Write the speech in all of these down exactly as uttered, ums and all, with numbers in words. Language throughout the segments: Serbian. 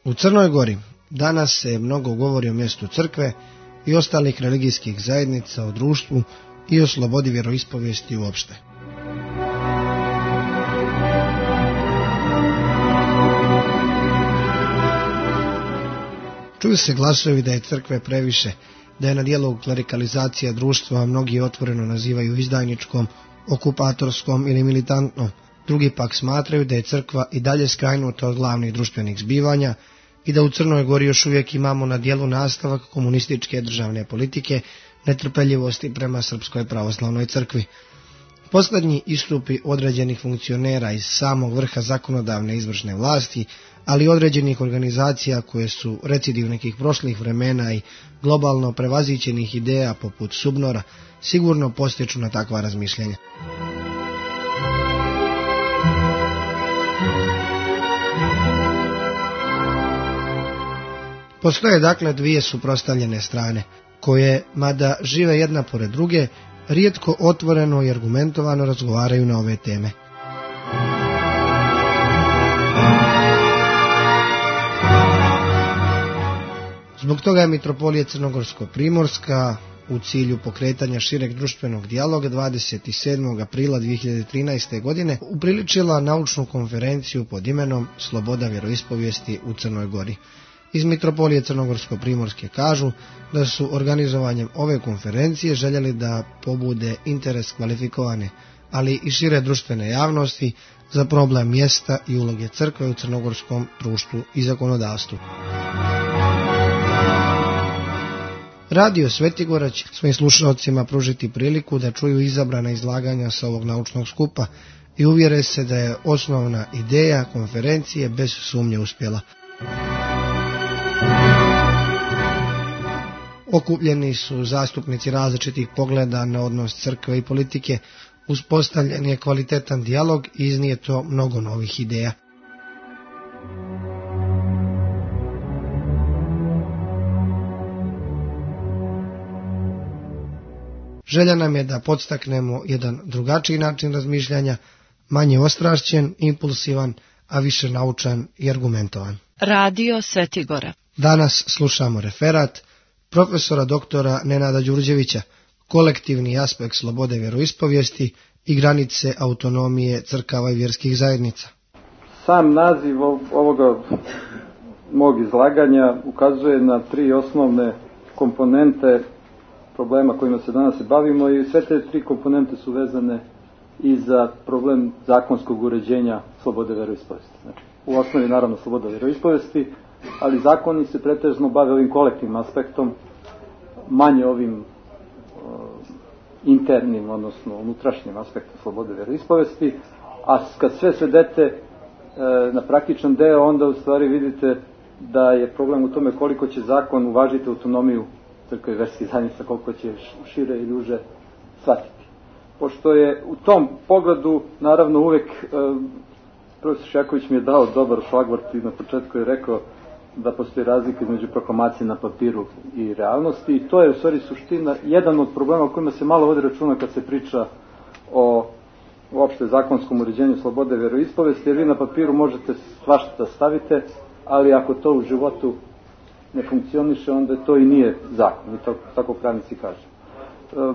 U Crnoj Gori danas se mnogo govori o mjestu crkve i ostalih religijskih zajednica, o društvu i o slobodi vjeroispovijesti uopšte. Čuju se glasovi da je crkve previše, da je na djelu klerikalizacija društva, a mnogi otvoreno nazivaju izdajničkom, okupatorskom ili militantnom. Drugi pak smatraju da je crkva i dalje skrajnuta od glavnih društvenih zbivanja i da u Crnoj Gori još uvijek imamo na djelu nastavak komunističke državne politike, netrpeljivosti prema Srpskoj pravoslavnoj crkvi. Posljednji istupi određenih funkcionera iz samog vrha zakonodavne izvršne vlasti, ali i određenih organizacija koje su recidiv nekih prošlih vremena i globalno prevazićenih ideja poput Subnora, sigurno postiču na takva razmišljenja. Postoje dakle dvije suprotstavljene strane, koje, mada žive jedna pored druge, rijetko otvoreno i argumentovano razgovaraju na ove teme. Zbog toga je Mitropolija Crnogorsko-Primorska u cilju pokretanja šireg društvenog dijaloga dvadeset sedmog aprila dvije hiljade trinaeste. godine upriličila naučnu konferenciju pod imenom Sloboda vjeroispovijesti u Crnoj Gori. Iz Mitropolije Crnogorsko-Primorske kažu da su organizovanjem ove konferencije željeli da pobude interes kvalifikovane, ali i šire društvene javnosti za problem mjesta i uloge crkve u crnogorskom društvu i zakonodavstvu. Radio Svetigora će svojim slušalcima pružiti priliku da čuju izabrana izlaganja sa ovog naučnog skupa i uvjere se da je osnovna ideja konferencije bez sumnje uspjela. Okupljeni su zastupnici različitih pogleda na odnos crkve i politike, uspostavljen je kvalitetan dijalog i iznijeto mnogo novih ideja. Želja nam je da podstaknemo jedan drugačiji način razmišljanja, manje ostrašćen, impulsivan, a više naučan i argumentovan. Radio Svetigora. Danas slušamo referat profesora doktora Nenada Đurđevića, kolektivni aspekt slobode vjeroispovijesti i granice autonomije crkava i vjerskih zajednica. Sam naziv ovoga mog izlaganja ukazuje na tri osnovne komponente problema kojima se danas se bavimo i sve te tri komponente su vezane i za problem zakonskog uređenja slobode vjeroispovijesti. Znači, u osnovi naravno sloboda vjeroispovijesti, ali zakoni se pretežno bave ovim kolektivnim aspektom, manje ovim uh, internim, odnosno unutrašnjim aspektom slobode vjeroispovijesti, a kad sve svedete uh, na praktičan deo, onda u stvari vidite da je problem u tome koliko će zakon uvažiti autonomiju crkve i vjerskih zajednica, koliko će šire i duže shvatiti. Pošto je u tom pogledu, naravno uvek, uh, profesor Šaković mi je dao dobar šlagvort i na početku je rekao da postoji razlika između proklamacije na papiru i realnosti i to je u stvari suština, jedan od problema o kojima se malo vodi računa kad se priča o uopšte zakonskom uređenju slobode vjeroispovijesti, jer vi na papiru možete svašta da stavite, ali ako to u životu ne funkcioniše, onda to i nije zakon, i to, tako pravnici kažu. E,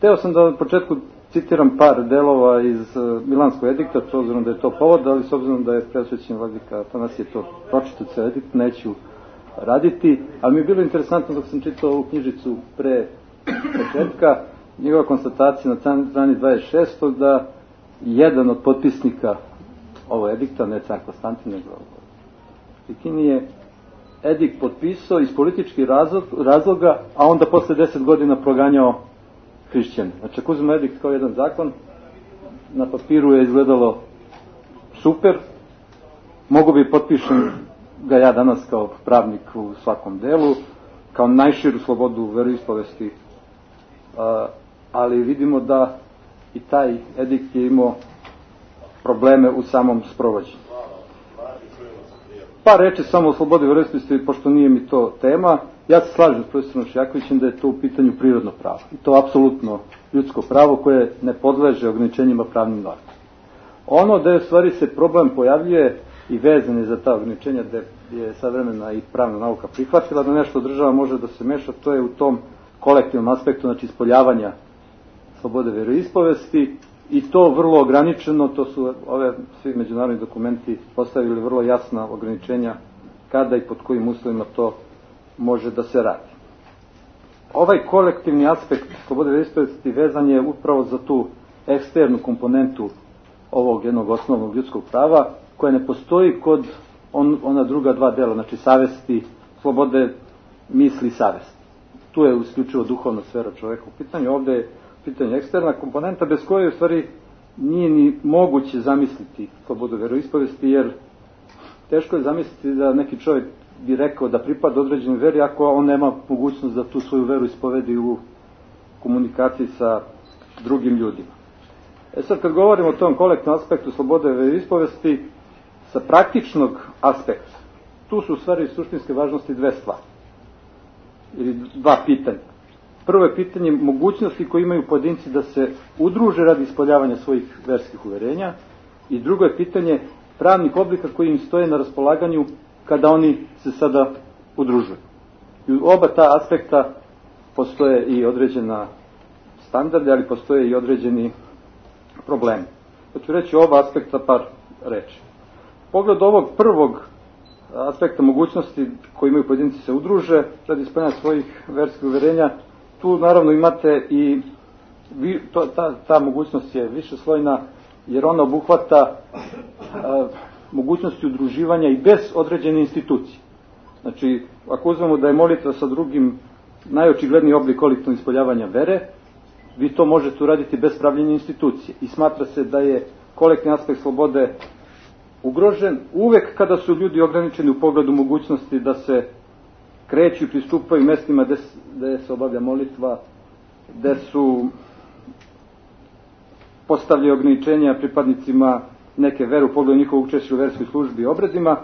teo sam da na početku citiram par delova iz Milanskog edikta, s obzirom da je to povod, ali s obzirom da je preosvećen vladika Atanasije to pročitao ceo edikt, neću raditi, ali mi je bilo interesantno dok sam čitao ovu knjižicu pre početka, njegova konstatacija na strani dvadeset šest da jedan od potpisnika ovo edikta, ne car Konstantin, nego Fikini je edikt potpisao iz političkih razloga, a onda posle deset godina proganjao hrišćane. Znači, ako uzmemo edikt kao jedan zakon, na papiru je izgledalo super, mogu bi potpišem ga ja danas kao pravnik u svakom delu, kao najširu slobodu veroispovesti, ali vidimo da i taj edikt je imao probleme u samom sprovođenju. Par reči samo o slobodi veroispovesti, pošto nije mi to tema. Ja se slažem s profesorom Šakovićem da je to u pitanju prirodno pravo. I to apsolutno ljudsko pravo koje ne podleže ograničenjima pravnim normama. Ono da je u stvari se problem pojavljuje i vezan je za ta ograničenja gde je savremena i pravna nauka prihvatila da nešto država može da se meša, to je u tom kolektivnom aspektu, znači ispoljavanja slobode veroispovesti, i to vrlo ograničeno. To su ove svi međunarodni dokumenti postavili vrlo jasna ograničenja kada i pod kojim uslovima to može da se radi. Ovaj kolektivni aspekt slobode veroispovesti vezan je upravo za tu eksternu komponentu ovog jednog osnovnog ljudskog prava, koja ne postoji kod on, ona druga dva dela, znači savesti, slobode misli i savesti. Tu je isključivo duhovna sfera čoveka u pitanju, ovde je pitanje eksterna komponenta bez koje u stvari nije ni moguće zamisliti slobodu veroispovesti, jer teško je zamisliti da neki čovjek bi rekao da pripada određenoj veri ako on nema mogućnost da tu svoju veru ispovedi u komunikaciji sa drugim ljudima. E sad, kad govorimo o tom kolektivnom aspektu slobode veroispovesti, sa praktičnog aspekta, tu su u stvari suštinske važnosti dve stvari, ili dva pitanja. Prvo je pitanje mogućnosti koje imaju pojedinci da se udruže radi ispoljavanja svojih verskih uverenja, i drugo je pitanje pravnih oblika koji im stoje na raspolaganju kada oni se sada udružuju. I u oba ta aspekta postoje i određena standarde, ali postoje i određeni problemi. Ja ću reći oba aspekta par reči. Pogled ovog prvog aspekta mogućnosti koji imaju pojedinci se udruže radi ispoljavanja svojih verskih uverenja, tu naravno imate i to, ta, ta mogućnost je višeslojna, jer ona obuhvata a, mogućnosti udruživanja i bez određene institucije. Znači, ako uzmemo da je molitva sa drugim najočigledniji oblik kolektivnog ispoljavanja vere, vi to možete uraditi bez pravljenja institucije. I smatra se da je kolektivni aspekt slobode ugrožen uvek kada su ljudi ograničeni u pogledu mogućnosti da se kreću i pristupaju mestima gde, gde se obavlja molitva, gde su postavljaju ograničenja pripadnicima neke vere u pogledu njihovog učešća u verskoj službi i obredima,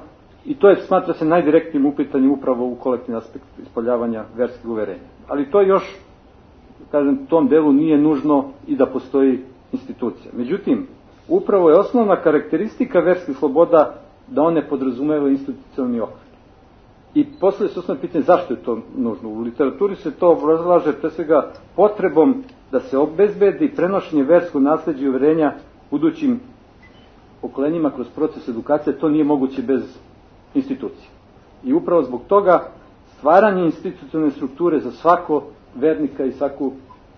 i to je, smatra se, najdirektnijim upitanjem upravo u kolektivni aspekt ispoljavanja verskih uverenja. Ali to još, kažem, tom delu nije nužno i da postoji institucija. Međutim, upravo je osnovna karakteristika verskih sloboda da one podrazumevaju institucionalni okvir. I poslije se osnovno pitanje zašto je to nužno. U literaturi se to obrazlaže pre svega potrebom da se obezbedi prenošenje verskog nasleđa i uverenja budućim pokolenjima kroz proces edukacije. To nije moguće bez institucije. I upravo zbog toga stvaranje institucionalne strukture za svako vernika i svaku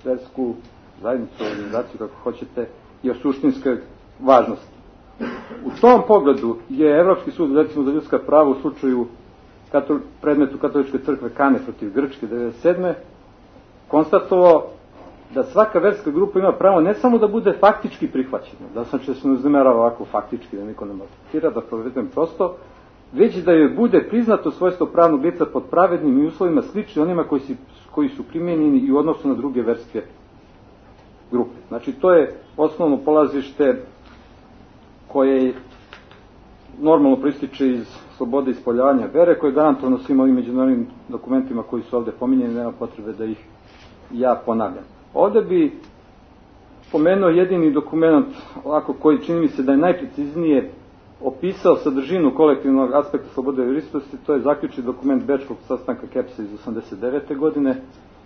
versku zajednicu, organizaciju, kako hoćete, je od suštinske važnosti. U tom pogledu je Evropski sud, recimo, za ljudska prava u slučaju katol, predmetu Katoličke crkve Kane protiv Grčke devedeset sedme konstatovao da svaka verska grupa ima pravo ne samo da bude faktički prihvaćena, da sam će se ne uznemerava ovako faktički, da niko ne maltretira, da provedem prosto, već da joj bude priznato svojstvo pravnog lica pod pravednim i uslovima slični onima koji, si, koji su primjenjeni i u odnosu na druge verske grupe. Znači, to je osnovno polazište koje normalno proističe iz slobode ispoljavanja vere, koje je garantovano svim ovim međunarodnim dokumentima koji su ovde pominjeni, nema potrebe da ih ja ponavljam. Ovde bi pomenuo jedini dokument, ovako, koji čini mi se da je najpreciznije opisao sadržinu kolektivnog aspekta slobode veroispovesti, to je zaključni dokument Bečkog sastanka Kepsa iz osamdeset devete godine,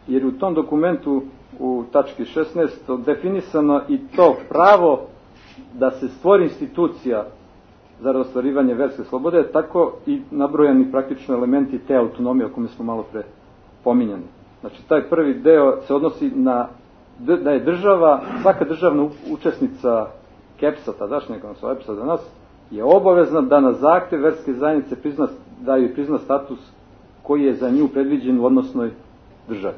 jer u tom dokumentu u tački šesnaest definisano i to pravo da se stvori institucija za ostvarivanje verske slobode, tako i nabrojani praktično elementi te autonomije o kome smo malo pre pominjani. Znači, taj prvi deo se odnosi na da je država, svaka državna učesnica Kepsa, tadašnjeg, odnosno Epsa danas, je obavezna da na zahtev verske zajednice prizna, da joj prizna status koji je za nju predviđen u odnosnoj državi.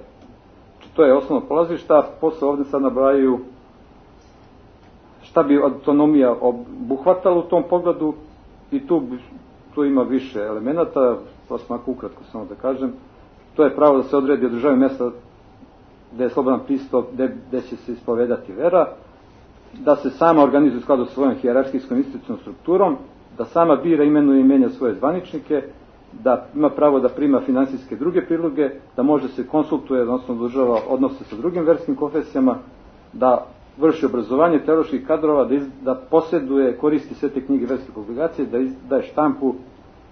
Znači, to je osnovno polazišta. Posle ovde sad nabrajaju šta bi autonomija obuhvatala u tom pogledu, i tu, tu ima više elemenata, to sam ako ukratko samo da kažem. To je pravo da se odredi od države mjesta gde je slobodan pristup, gde, gde će se ispovedati vera, da se sama organizuje u skladu sa svojom hijerarhijskom institucionalnom strukturom, da sama bira, imenuje i menja svoje zvaničnike, da ima pravo da prima finansijske druge priloge, da može se konsultuje, odnosno održava odnose sa drugim verskim konfesijama, da vrši obrazovanje teoloških kadrova, da, iz, da posjeduje, koristi sve te knjige verske publikacije, da daje štampu,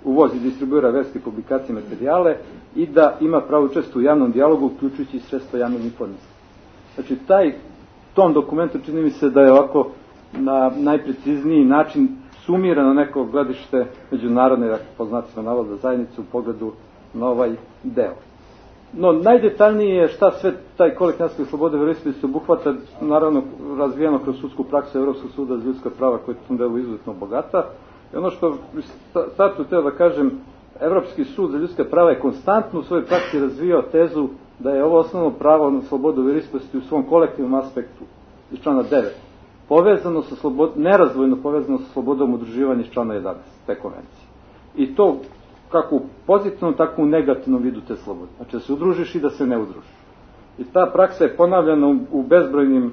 uvozi, distribuira verske publikacije i materijale i da ima pravo učestvo u javnom dijalogu, uključujući sredstva javnog informisanja. Znači, taj, tom dokumentu čini mi se da je ovako na najprecizniji način sumirano neko gledište međunarodne, dakle, po znacima navoda, zajednice u pogledu na ovaj deo. No, najdetaljnije je šta sve taj kolektivni aspekt slobode veroispovesti obuhvata, naravno razvijeno kroz sudsku praksu Evropskog suda za ljudska prava, koja je u tom delu izuzetno bogata. I ono što startu teo da kažem, Evropski sud za ljudska prava je konstantno u svojoj praksi razvijao tezu da je ovo osnovno pravo na slobodu veroispovesti u svom kolektivnom aspektu iz člana devet povezano sa slobod, nerazvojno povezano sa slobodom udruživanja iz člana jedanaest te konvencije. I to kako u pozitivnom, tako u negativnom vidu te slobode. Znači da se udružiš i da se ne udružiš. I ta praksa je ponavljana u, u bezbrojnim e,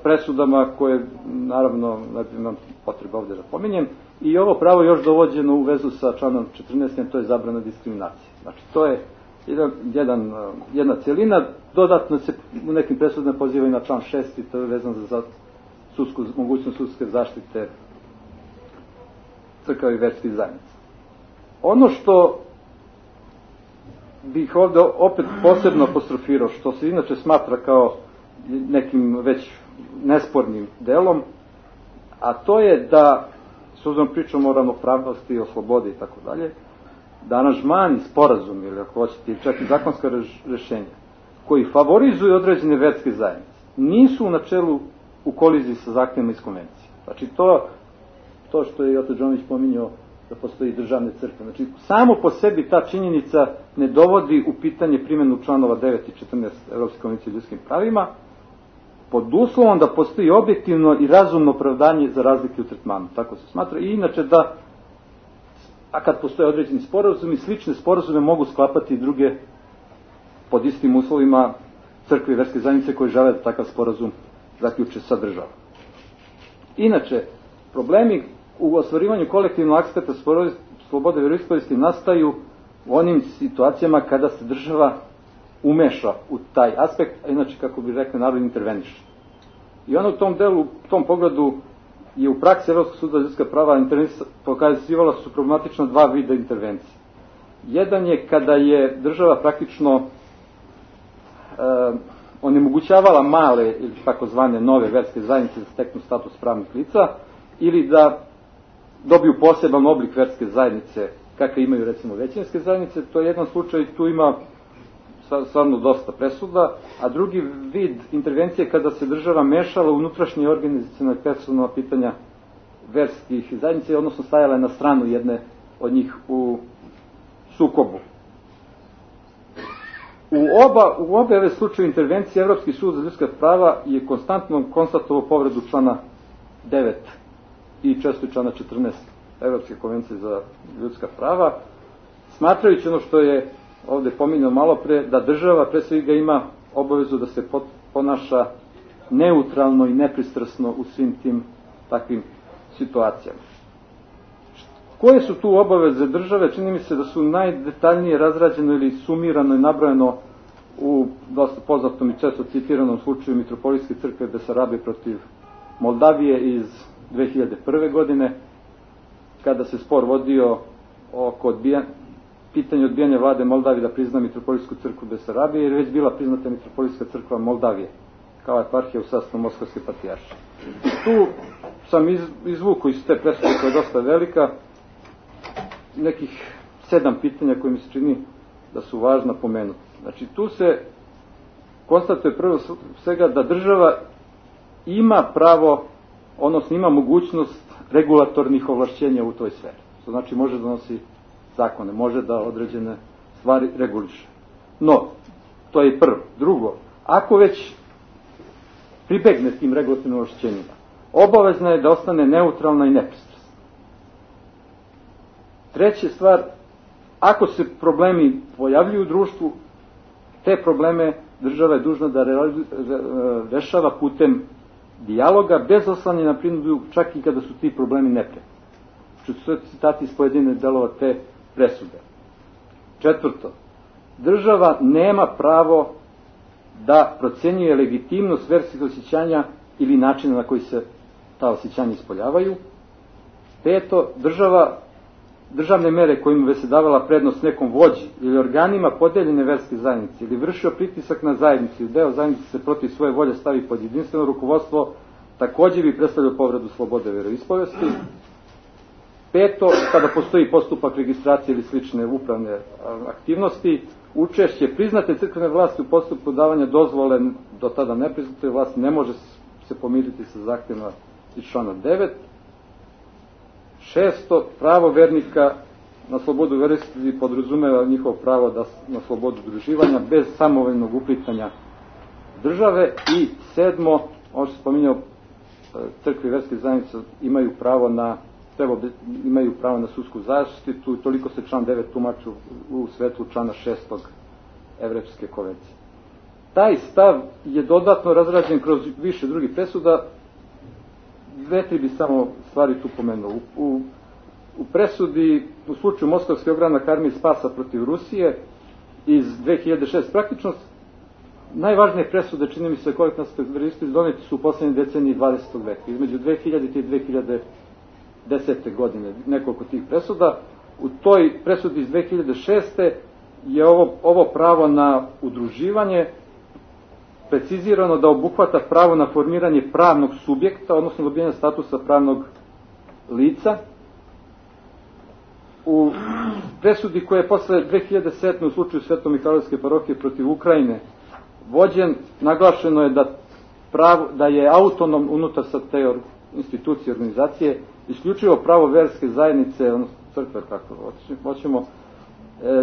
presudama koje, naravno, imam potreba ovdje da pominjem, i ovo pravo još dovođeno u vezu sa članom četrnaest, to je zabrana diskriminacije. Znači to je jedan, jedan, jedna cijelina, dodatno se u nekim presudama pozivaju na član šest i to je vezano za sudsku, mogućnost sudske zaštite crkava i verskih zajednica. Ono što bih ovdje opet posebno apostrofirao, što se inače smatra kao nekim već nespornim delom, a to je da, s obzirom pričamo o ravnopravnosti, o slobodi i tako dalje, da aranžmani, sporazum ili ako hoćete, čak i zakonska rešenja, koji favorizuju određene verske zajednice, nisu u načelu u koliziji sa zahtjevima iz konvencije. Znači to, to što je Joto Džonović pominjao da postoji državne crkve. Znači samo po sebi ta činjenica ne dovodi u pitanje primjenu članova devet i četrnaest Evropske konvencije o ljudskim pravima, pod uslovom da postoji objektivno i razumno opravdanje za razlike u tretmanu. Tako se smatra. I inače da, a kad postoje određeni sporazumi, slične sporazume mogu sklapati i druge pod istim uslovima crkve i verske zajednice koje žele da takav sporazum zaključe sa državom. Inače, problemi u ostvarivanju kolektivnog aspekta slobode veroispovesti nastaju u onim situacijama kada se država umeša u taj aspekt, a inače, kako bi rekli, narod interveniše. I ono u tom delu, u tom pogledu je u praksi Evropskog suda za ljudska prava pokazivala su problematično dva vida intervencije. Jedan je kada je država praktično e, onemogućavala male ili takozvane nove verske zajednice da steknu status pravnih lica ili da dobiju poseban oblik verske zajednice kakve imaju recimo većinske zajednice. To je jedan slučaj, tu ima stvarno dosta presuda, a drugi vid intervencije kada se država mešala u unutrašnje organizacione personalna pitanja verskih zajednice, odnosno stajala je na stranu jedne od njih u sukobu. U oba, u obe ove slučaje intervencije Evropski sud za ljudska prava je konstantno konstatovao povredu člana devet i često člana četrnaest Evropske konvencije za ljudska prava, smatrajući ono što je ovdje pominjao malo pre, da država pre svega ima obavezu da se ponaša neutralno i nepristrasno u svim tim takvim situacijama. Koje su tu obaveze države? Čini mi se da su najdetaljnije razrađeno ili sumirano i nabrojeno u dosta poznatom i često citiranom slučaju Mitropolitske crkve Besarabije protiv Moldavije iz dve hiljade prve. godine, kada se spor vodio oko odbijanja, pitanje odbijanja vlade Moldavije da prizna Mitropolitsku crkvu Besarabije, jer je već bila priznata Mitropolitska crkva Moldavije kao eparhija u sastavu Moskovske patrijaršije. Tu sam iz, izvukao iz te presude koja je dosta velika nekih sedam pitanja koje mi se čini da su važna pomenuti. Znači tu se konstatuje prvo svega da država ima pravo, odnosno ima mogućnost regulatornih ovlašćenja u toj sferi. To znači može da donosi zakone, može da određene stvari reguliše. No, to je prvo. Drugo, ako već pribegne tim regulatornim ovlašćenjima, obavezna je da ostane neutralna i nepristrasna. Treća stvar, ako se problemi pojavljuju u društvu, te probleme država je dužna da rešava putem dijaloga, bez oslanjanja na prinudu, čak i kada su ti problemi neprijatni. Što su citati iz pojedine delova te presude. Četvrto, država nema pravo da procjenjuje legitimnost verskih osjećanja ili načina na koji se ta osjećanja ispoljavaju. Peto, država, državne mere kojima bi se davala prednost nekom vođi ili organima podeljene verske zajednice ili vršio pritisak na zajednici, deo zajednice se protiv svoje volje stavi pod jedinstveno rukovodstvo, također bi predstavljao povredu slobode veroispovesti. Peto, kada postoji postupak registracije ili slične upravne aktivnosti, učešće priznate crkvene vlasti u postupku davanja dozvole do tada nepriznate vlasti ne može se pomiriti sa zahtjevima iz člana devet. Šesto, pravo vernika na slobodu veroispovesti podrazumeva njihovo pravo da, na slobodu udruživanja bez samovoljnog uplitanja države. I sedmo, ono što se spominjao, crkve i verske zajednice imaju pravo na treba, imaju pravo na sudsku zaštitu, toliko se član devet tumači u svetlu člana šestog Evropske konvencije. Taj stav je dodatno razrađen kroz više drugih presuda. Dve, tri bi samo stvari tu pomenuo. U, u, u presudi, u slučaju Moskovski ogranak armije spasa protiv Rusije iz dve hiljade šeste praktično najvažnije presude, čini mi se, koje nas veroispovesti doneti su u poslednjoj deceniji dvadesetog veka, između dve hiljadite i dve hiljade desete. godine, nekoliko tih presuda. U toj presudi iz dve hiljade šeste. je ovo, ovo pravo na udruživanje precizirano da obuhvata pravo na formiranje pravnog subjekta, odnosno dobijanje statusa pravnog lica. U presudi koja je posle dve hiljade sedme. u slučaju Sveto-Mihajlovske parohije protiv Ukrajine vođen, naglašeno je da, pravo, da je autonom unutar sa te institucije, organizacije, isključivo pravo verske zajednice, odnosno crkve, kako hoćemo,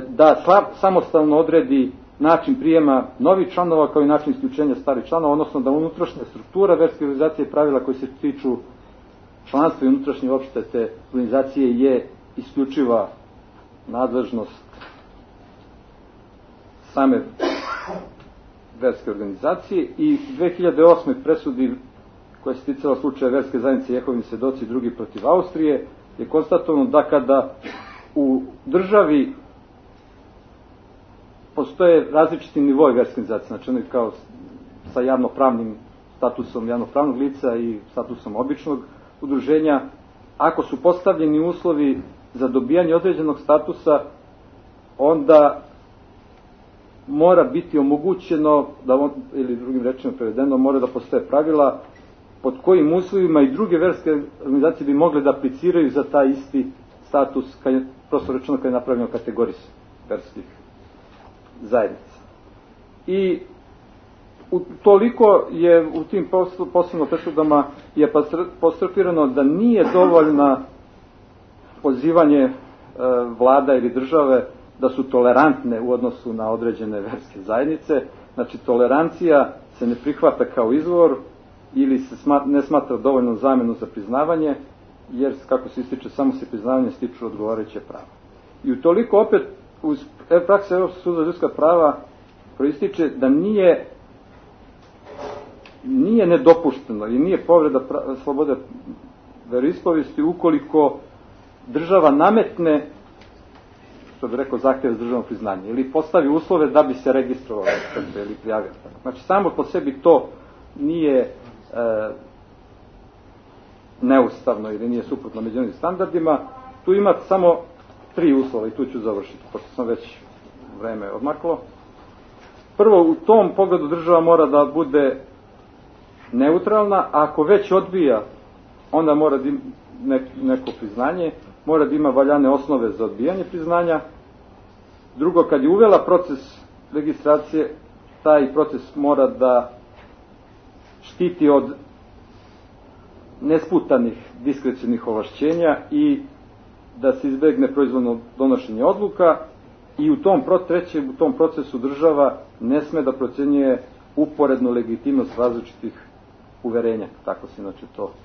da samostalno odredi način prijema novih članova kao i način isključenja starih članova, odnosno da unutrašnja struktura verske organizacije i pravila koji se tiču članstva i unutrašnje opšte te organizacije je isključiva nadležnost same verske organizacije. I dve hiljade osme. presudi koja se ticala slučaja verske zajednice Jehovini svedoci drugi protiv Austrije je konstatovano da kada u državi postoje različiti nivoi verske organizacije, znači ono kao sa javnopravnim statusom javnopravnog lica i statusom običnog udruženja, ako su postavljeni uslovi za dobijanje određenog statusa, onda mora biti omogućeno, da on, ili drugim rečima prevedeno, mora da postoje pravila pod kojim uslovima i druge verske organizacije bi mogle da apliciraju za taj isti status, kad je, prosto rečeno, kad je napravljeno kategoris verskih zajednica. I u, toliko je u tim posebno presudama je apostrofirano da nije dovoljna pozivanje e, vlada ili države da su tolerantne u odnosu na određene verske zajednice. Znači, tolerancija se ne prihvata kao izvor ili se smat, ne smatra dovoljnom zamenu za priznavanje, jer, kako se ističe, samo se priznavanje stiču odgovarajuće prava. I utoliko opet uz praksa Evropskog suda za ljudska prava proističe da nije nije nedopušteno i nije povreda pra, slobode veroispovesti ukoliko država nametne, što bi rekao, zahtjev za državno priznanje ili postavi uslove da bi se registrovalo ili prijavio. Znači, samo po sebi to nije e, neustavno ili nije suprotno međunarodnim standardima. Tu ima samo tri uslova i tu ću završiti, pošto sam već vreme odmaklo. Prvo, u tom pogledu država mora da bude neutralna, a ako već odbija, onda mora da ima neko priznanje, mora da ima valjane osnove za odbijanje priznanja. Drugo, kad je uvela proces registracije, taj proces mora da štiti od nesputanih diskrecionih ovlašćenja i da se izbegne proizvoljno donošenje odluka. I u tom, treće, u tom procesu država ne sme da procjenjuje uporednu legitimnost različitih uverenja, tako se inače to